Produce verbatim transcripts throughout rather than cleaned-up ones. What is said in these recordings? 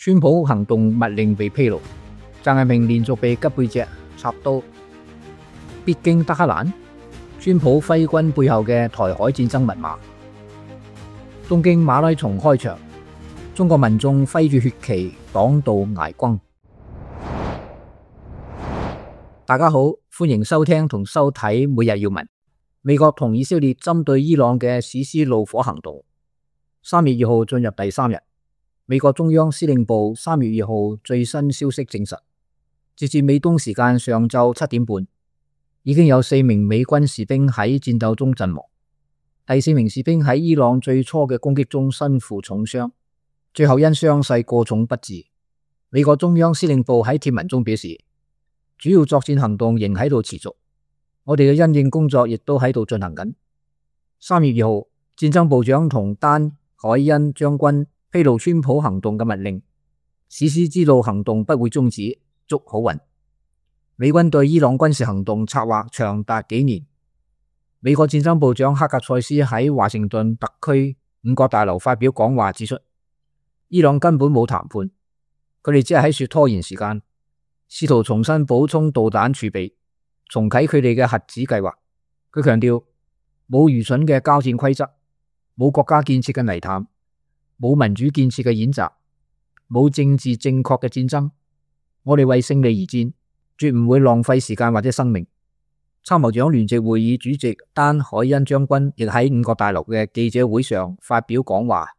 川普行動密令被披露，習近平連續被吉背脊插刀。必經德黑蘭，川普揮軍背後嘅台海戰爭密碼。東京馬拉松開場，中國民眾揮住血旗擋道挨轟。大家好，歡迎收聽同收睇每日要聞。美國同以色列針對伊朗嘅實施怒火行動，三月二號進入第三日。美國中央司令部三月二號最新消息證實，截至美東時間上晝七點半，已經有四名美軍士兵喺戰鬥中陣亡，第四名士兵喺伊朗最初嘅攻擊中身負重傷，最後因傷勢過重不治。美國中央司令部喺貼文中表示，主要作戰行動仍喺度持續，我哋嘅因應工作亦都喺度進行緊。三月二號，戰爭部長同丹海恩將軍披露川普行動嘅密令，史詩之路行動不會終止，祝好運。美軍對伊朗軍事行動策劃長達幾年。美國戰爭部長克格塞斯喺華盛頓特區五角大樓發表講話指出，伊朗根本冇談判，佢哋只係喺說拖延時間，試圖重新補充導彈儲備，重啟佢哋嘅核子計劃。佢強調，冇愚蠢嘅交戰規則，冇國家建設嘅泥潭，冇民主建設嘅演習，冇政治正確嘅戰爭。我哋為勝利而戰，絕唔會浪費時間或者生命。參謀長聯席會議主席丹海恩將軍亦喺五角大樓嘅記者會上發表講話，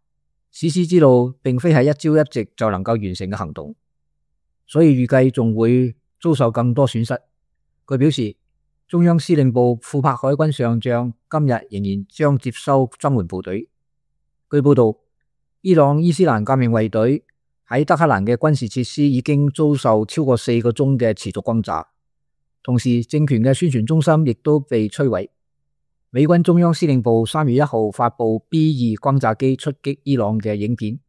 史詩之路並非係一朝一夕就能夠完成嘅行動，所以預計仲會遭受更多損失。佢表示，中央司令部庫柏海軍上將今日仍然將接收增援部隊。據報道，伊朗伊斯蘭革命衛隊喺德黑蘭嘅軍事設施已經遭受超過四個鐘嘅持續轟炸，同時政權嘅宣傳中心亦都被摧毀。美軍中央司令部三月一號發布 B 二轟炸機出擊伊朗嘅影片，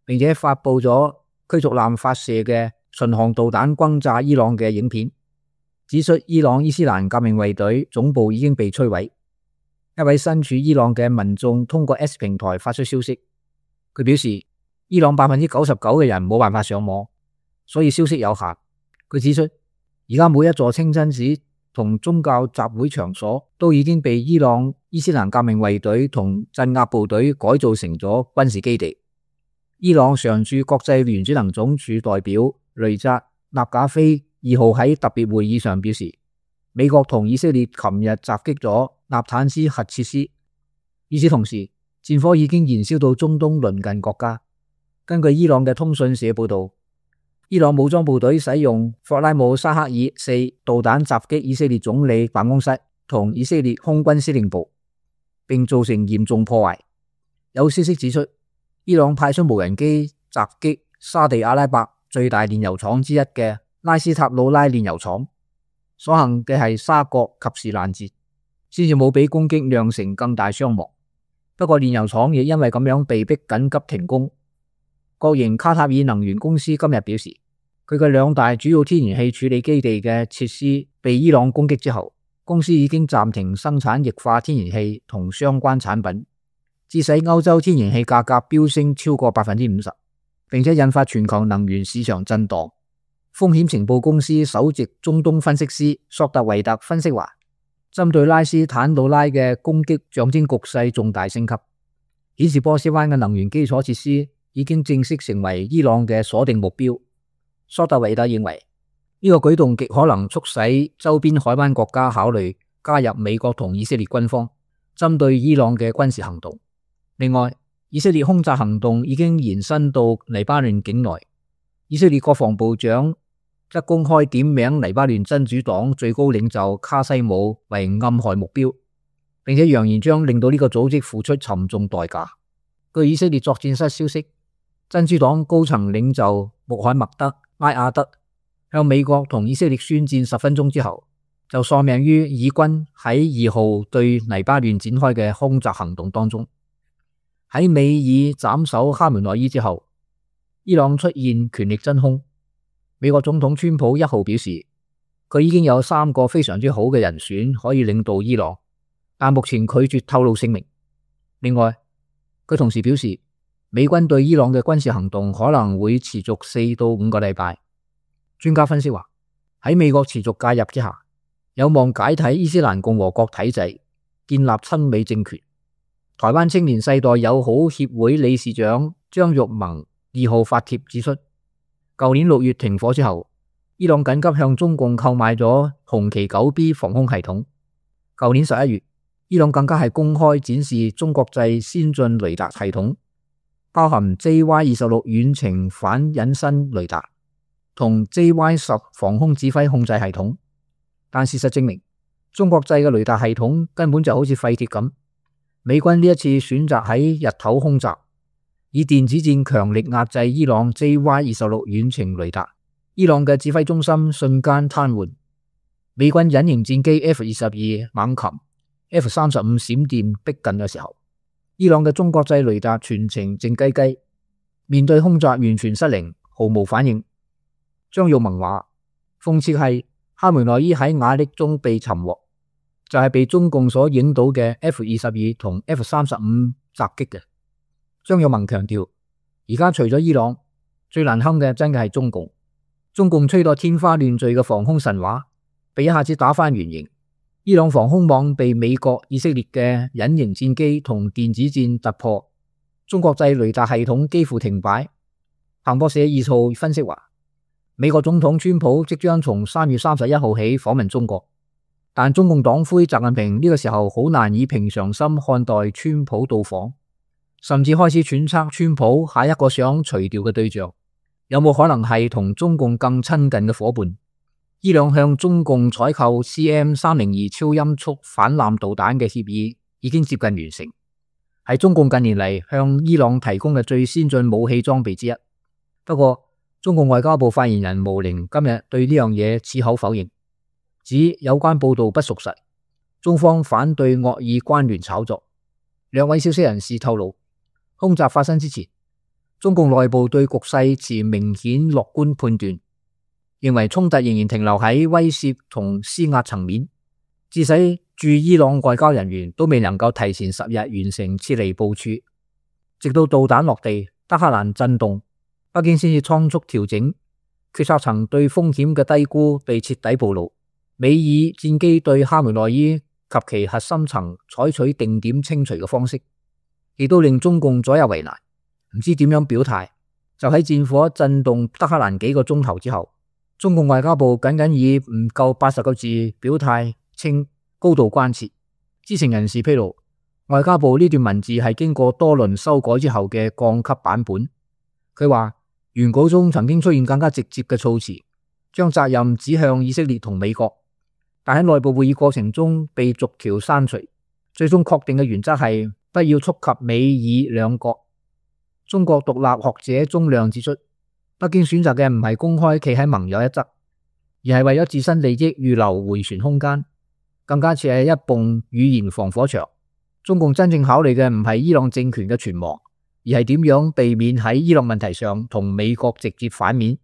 並且發布咗驅逐艦發射嘅巡航導彈轟炸伊朗嘅影片，指出伊朗伊斯蘭革命衛隊總部已經被摧毀。一位身處伊朗嘅民眾通過 X 平台發出消息，佢表示伊朗百分之九十九嘅人冇辦法上網，所以消息有限。佢指出，而家每一座清真寺同宗教集會場所都已經被伊朗伊斯蘭革命衛隊同鎮壓部隊改造成咗軍事基地。伊朗常駐國際原子能總署代表雷扎納賈菲二號喺特別會議上表示，美國同以色列琴日襲擊咗納坦斯核設施。與此同時，戰火已經燃燒到中東鄰近國家。根據伊朗嘅通訊社報道，伊朗武裝部隊使用霍拉姆沙克爾四導彈襲擊以色列總理辦公室同以色列空軍司令部，並造成嚴重破壞。有消息指出，伊朗派出無人機襲擊沙地阿拉伯最大煉油廠之一嘅拉斯塔魯拉煉油廠，所幸嘅係沙國及時攔截，先至冇俾攻擊釀成更大傷亡。不過煉油廠亦因為咁樣被迫緊急停工。國營卡塔爾能源公司今日表示，佢嘅兩大主要天然氣處理基地嘅設施被伊朗攻擊之後，公司已經暫停生產液化天然氣同相關產品，致使歐洲天然氣價格飆升超過百分之五十，並且引發全球能源市場震盪。風險情報公司首席中東分析師索特維特分析話，針對拉斯坦魯拉嘅攻擊象徵局勢重大升級，顯示波斯灣嘅能源基礎設施已經正式成為伊朗嘅鎖定目標。索特維特認為，呢個舉動極可能促使周邊海灣國家考慮加入美國同以色列軍方針對伊朗嘅軍事行動。另外，以色列空襲行動已經延伸到黎巴嫩境內，以色列國防部長則公開點名黎巴嫩真主黨最高領袖卡西姆為暗害目標，並且揚言將令到呢個組織付出沉重代價。據以色列作戰室消息，真主黨高層領袖穆罕默德拉亞德向美國同以色列宣戰十分鐘之後，就喪命於以軍喺二號對黎巴嫩展開嘅空襲行動當中。喺美爾斬首哈梅內伊之後，伊朗出現權力真空。美國總統川普一號表示，佢已經有三個非常之好嘅人選可以領導伊朗，但目前拒絕透露姓名。另外，佢同時表示，美軍對伊朗嘅軍事行動可能會持續四到五個禮拜。專家分析話，喺美國持續介入之下，有望解體伊斯蘭共和國體制，建立親美政權。台灣青年世代友好協會理事長張玉盟二號發帖指出，舊年六月停火之後，伊朗緊急向中共購買咗紅旗九 B 防空系統。舊年十一月，伊朗更加係公開展示中國製先進雷達系統，包含 J Y 二十六遠程反隱身雷達同 J Y 十防空指揮控制系統。但事實證明，中國製嘅雷達系統根本就好似廢鐵咁。美軍呢一次選擇喺日頭空襲，以電子戰強力壓制伊朗 J Y 二十六遠程雷達，伊朗嘅指揮中心瞬間癱瘓。美軍隱形戰機 F 二十二猛禽、F 三十五閃電逼近嘅時候，伊朗嘅中國製雷達全程靜雞雞，面對空襲完全失靈，毫無反應。張玉盟話，諷刺係哈梅內伊喺瓦礫中被尋獲，就係、是、被中共所影到嘅 F 二十二同 F 三十五襲擊嘅。張玉盟強調，而家除咗伊朗，最難堪嘅真嘅係中共。中共吹到天花亂墜嘅防空神話，被一下子打返原形。伊朗防空網被美國、以色列嘅隱形戰機同電子戰突破，中國製雷達系統幾乎停擺。彭博社二號分析話，美國總統川普即將從三月三十一號起訪問中國，但中共黨魁習近平呢個時候好難以平常心看待川普到訪，甚至開始揣測川普下一個想除掉嘅對象有冇可能係同中共更親近嘅夥伴。伊朗向中共採購 C M 三零二超音速反艦導彈嘅協議已經接近完成，係中共近年嚟向伊朗提供嘅最先進武器裝備之一。不過，中共外交部發言人毛寧今日對呢樣嘢矢口否認，指有關報道不屬實，中方反對惡意關聯炒作。兩位消息人士透露，空襲發生之前，中共內部對局勢持明顯樂觀判斷，認為衝突仍然停留喺威懾同施壓層面，致使駐伊朗外交人員都未能夠提前十日完成撤離部署，直到導彈落地，德黑蘭震動，北京先至倉促調整，決策層對風險嘅低估被徹底暴露。美以戰機對哈梅內伊及其核心層採取定點清除嘅方式，亦都令中共左右為難，唔知點樣表態。就喺戰火震動德黑蘭幾個鐘頭之後，中共外交部僅僅以唔夠八十個字表態，稱高度關切。知情人士披露，外交部呢段文字係經過多輪修改之後嘅降級版本。佢話原稿中曾經出現更加直接嘅措辭，將責任指向以色列同美國，但喺內部會議過程中被逐條刪除。最終確定嘅原則係不要觸及美以兩國。中國獨立學者鐘亮指出，北京選擇嘅唔係公開企喺盟友一側，而係為咗自身利益預留迴旋空間，更加似係一埲語言防火牆。中共真正考慮嘅唔係伊朗政權嘅存亡，而係點樣避免喺伊朗問題上同美國直接反面。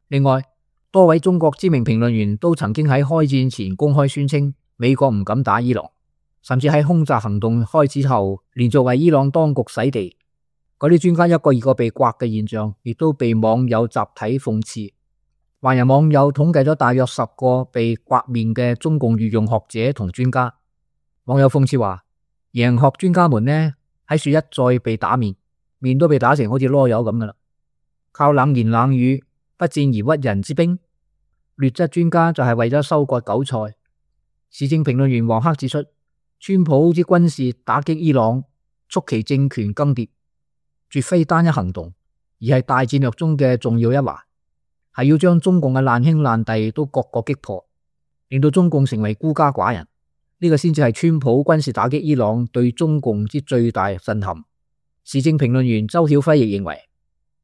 另外，多位中國知名評論員都曾經喺開戰前公開宣稱美國唔敢打伊朗，甚至喺空襲行動開始後連續為伊朗當局洗地。嗰啲專家一個二個被刮嘅現象，亦都被網友集體諷刺。華人網友統計咗大約十個被刮面嘅中共御用學者同專家。網友諷刺話，贏學專家們呢喺樹一再被打面，面都被打成好似囉柚咁噶啦，靠冷言冷語不戰而屈人之兵。劣質專家就係為咗收割韭菜。時政評論員黃克指出，川普之軍事打擊伊朗，促其政權更迭，絕非單一行動，而係大戰略中嘅重要一環，係要將中共嘅爛兄爛弟都各個擊破，令到中共成為孤家寡人。呢、這個先至係川普軍事打擊伊朗對中共之最大震撼。時政評論員周曉輝亦認為，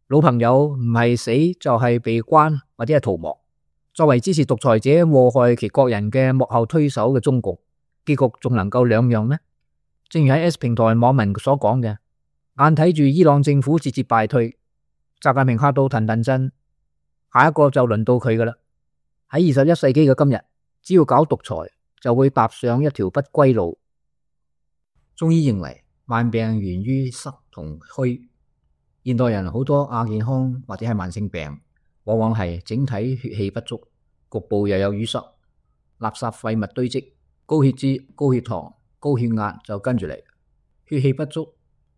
老朋友唔係死就係被關或者係逃亡。作為支持獨裁者禍害其國人嘅幕後推手嘅中共，結局仲能夠兩樣咩？正如喺 S 平台網民所講嘅，眼睇住伊朗政府節節敗退，習近平嚇到騰騰震，下一個就輪到佢噶啦。喺二十一世紀嘅今日，只要搞獨裁，就會踏上一條不歸路。中醫認為，萬病源於濕同虛，現代人好多亞健康或者係慢性病，往往係整體血氣不足，局部又有淤塞，垃圾廢物堆積，高血脂、高血糖、高血壓就跟住嚟。血氣不足，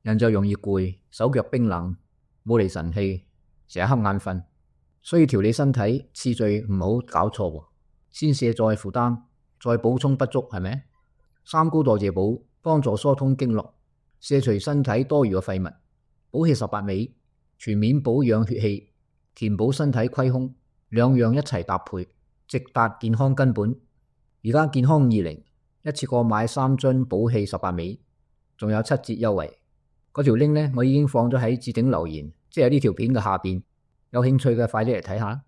人就容易攰，手腳冰冷，冇嚟神氣，成日瞌眼瞓。所以調理身體次序唔好搞錯，先卸載負擔，再補充不足，係咪？三高代謝補幫助疏通經絡，卸除身體多餘嘅廢物，補氣十八味，全面保養血氣，填補身體虧空，兩樣一齊搭配，直達健康根本。而家健康二零一次過買三樽補氣十八味，仲有七折優惠。嗰條 link 呢，我已經放咗喺置頂留言，即係呢條片嘅下邊。有興趣嘅快啲嚟睇下。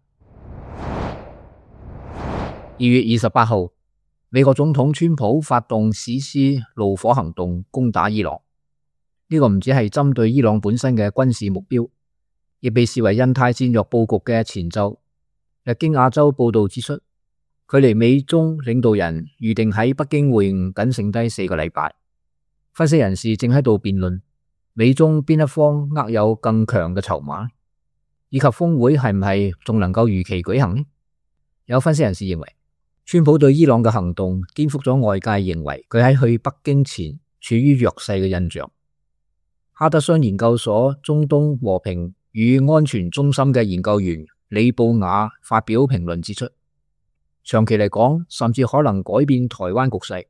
二月二十八號，美國總統川普發動史詩怒火行動攻打伊朗。呢、這個唔只係針對伊朗本身嘅軍事目標，亦被視為印太戰略佈局嘅前奏。日經亞洲報道指出，距離美中領導人預定喺北京會晤僅剩低四個禮拜。分析人士正喺度辯論美中邊一方握有更強嘅籌碼，以及峰會係唔係仲能夠如期舉行呢？有分析人士認為，川普對伊朗嘅行動顛覆咗外界認為佢喺去北京前處於弱勢嘅印象。哈德遜研究所中東和平與安全中心嘅研究員李布雅發表評論指出，長期嚟講甚至可能改變台灣局勢，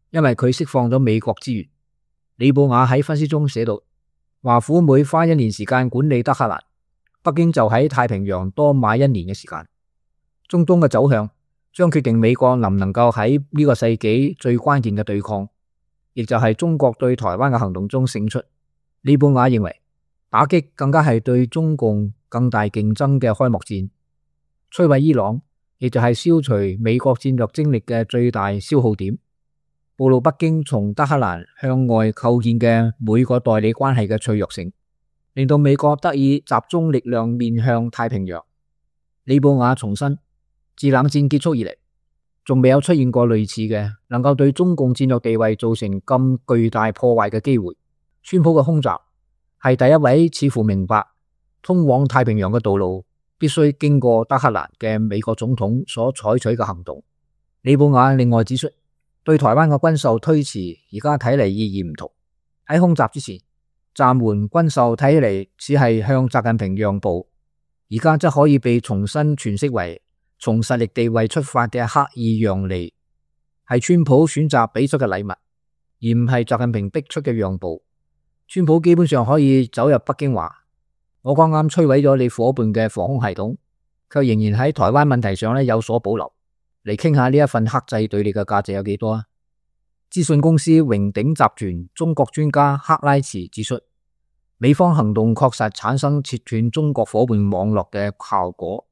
因為佢釋放咗美國資源。李布雅喺分析中寫道，華府每花一年時間管理德黑蘭，北京就喺太平洋多買一年嘅時間。中東嘅走向將決定美國能唔能夠喺呢個世紀最關鍵嘅對抗，亦就係中國對台灣嘅行動中勝出。李布雅認為，打擊更加係對中共更大競爭嘅開幕戰，摧毀伊朗，亦就係消除美國戰略精力嘅最大消耗點，暴露北京從德黑蘭向外構建嘅每個代理關係嘅脆弱性，令到美國得以集中力量面向太平洋。李布雅重申，自冷戰結束以嚟，仲未有出現過類似嘅能夠對中共戰略地位造成咁巨大破壞嘅機會。川普嘅空襲係第一位似乎明白通往太平洋嘅道路必須經過德黑蘭嘅美國總統所採取嘅行動。李布雅另外指出，對台灣嘅軍售推遲而家睇嚟意義唔同。喺空襲之前暫緩軍售睇起嚟只係向習近平讓步，而家則可以被重新詮釋為從實力地位出發嘅刻意讓利，係川普選擇俾出嘅禮物，而唔係習近平逼出嘅讓步。川普基本上可以走入北京話，我剛啱摧毀咗你夥伴嘅防空系統，卻仍然喺台灣問題上咧有所保留，嚟傾下呢一份克制對你嘅價值有幾多啊？資訊公司榮鼎集團中國專家克拉茨指出，美方行動確實產生切斷中國夥伴網絡嘅效果。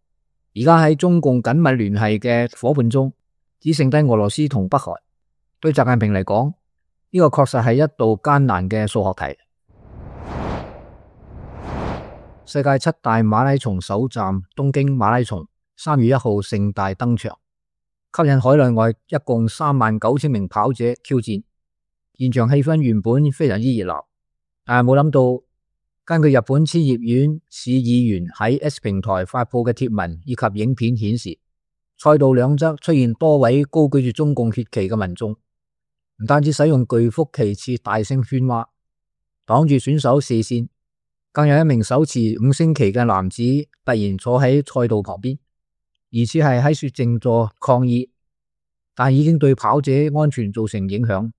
而家喺中共緊密聯繫嘅夥伴中，只剩低俄羅斯同北韓。對習近平嚟講，呢個確實係一道艱難嘅數學題。世界七大馬拉松首站東京馬拉松三月一號盛大登場，吸引海內外一共三萬九千名跑者挑戰。現場氣氛原本非常之熱鬧，但係冇諗到，根據日本千葉縣市議員喺 X 平台發布嘅貼文以及影片顯示，賽道兩側出現多位高舉住中共血旗嘅民眾，唔單止使用巨幅旗幟大聲喧嘩，擋住選手視線，更有一名手持五星旗嘅男子突然坐喺賽道旁邊，疑似係喺說靜坐抗議，但已經對跑者安全造成影響。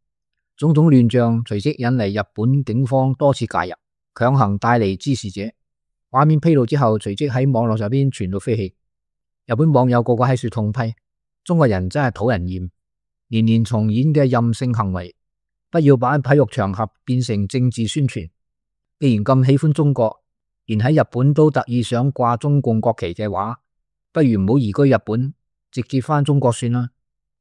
種種亂象隨即引嚟日本警方多次介入，強行帶離滋事者。畫面披露之後，隨即喺網絡上邊傳到飛起。日本網友個個喺度痛批：中國人真係討人厭，年年重演嘅任性行為，不要把體育場合變成政治宣傳。既然咁喜歡中國，連喺日本都特意想掛中共國旗嘅話，不如唔好移居日本，直接返中國算啦。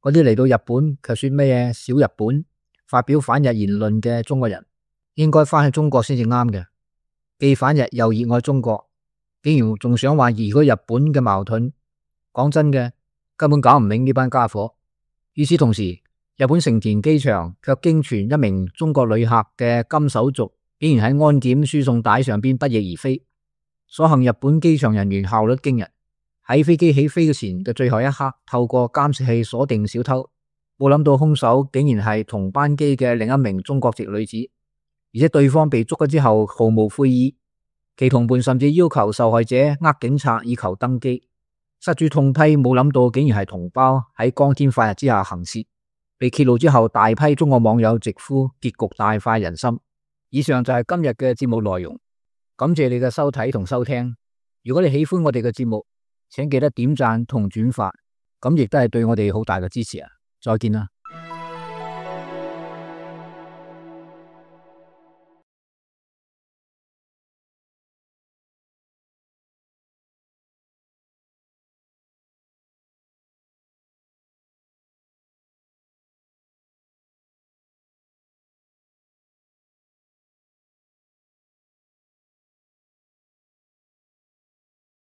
嗰啲嚟到日本卻說咩嘢小日本，發表反日言論嘅中國人，應該返去中國先至啱嘅。既反日又熱愛中國，竟然仲想話移居日本嘅矛盾，講真嘅，根本搞唔明呢班家伙。與此同時，日本成田機場卻驚傳一名中國旅客嘅金手續竟然喺安檢輸送帶上邊不翼而飛。所幸日本機場人員效率驚人，喺飛機起飛嘅前嘅最後一刻，透過監視器鎖定小偷。冇諗到兇手竟然係同班機嘅另一名中國籍女子，而且對方被捉咗之後毫無悔意，其同伴甚至要求受害者呃警察以求登機。失主痛批，冇諗到竟然係同胞喺光天化日之下行竊。被揭露之後，大批中國網友直呼結局大快人心。以上就係今日嘅節目內容，感謝你嘅收睇同收聽。如果你喜歡我哋嘅節目，請記得點讚同轉發，咁亦都係對我哋好大嘅支持啊！再見啦。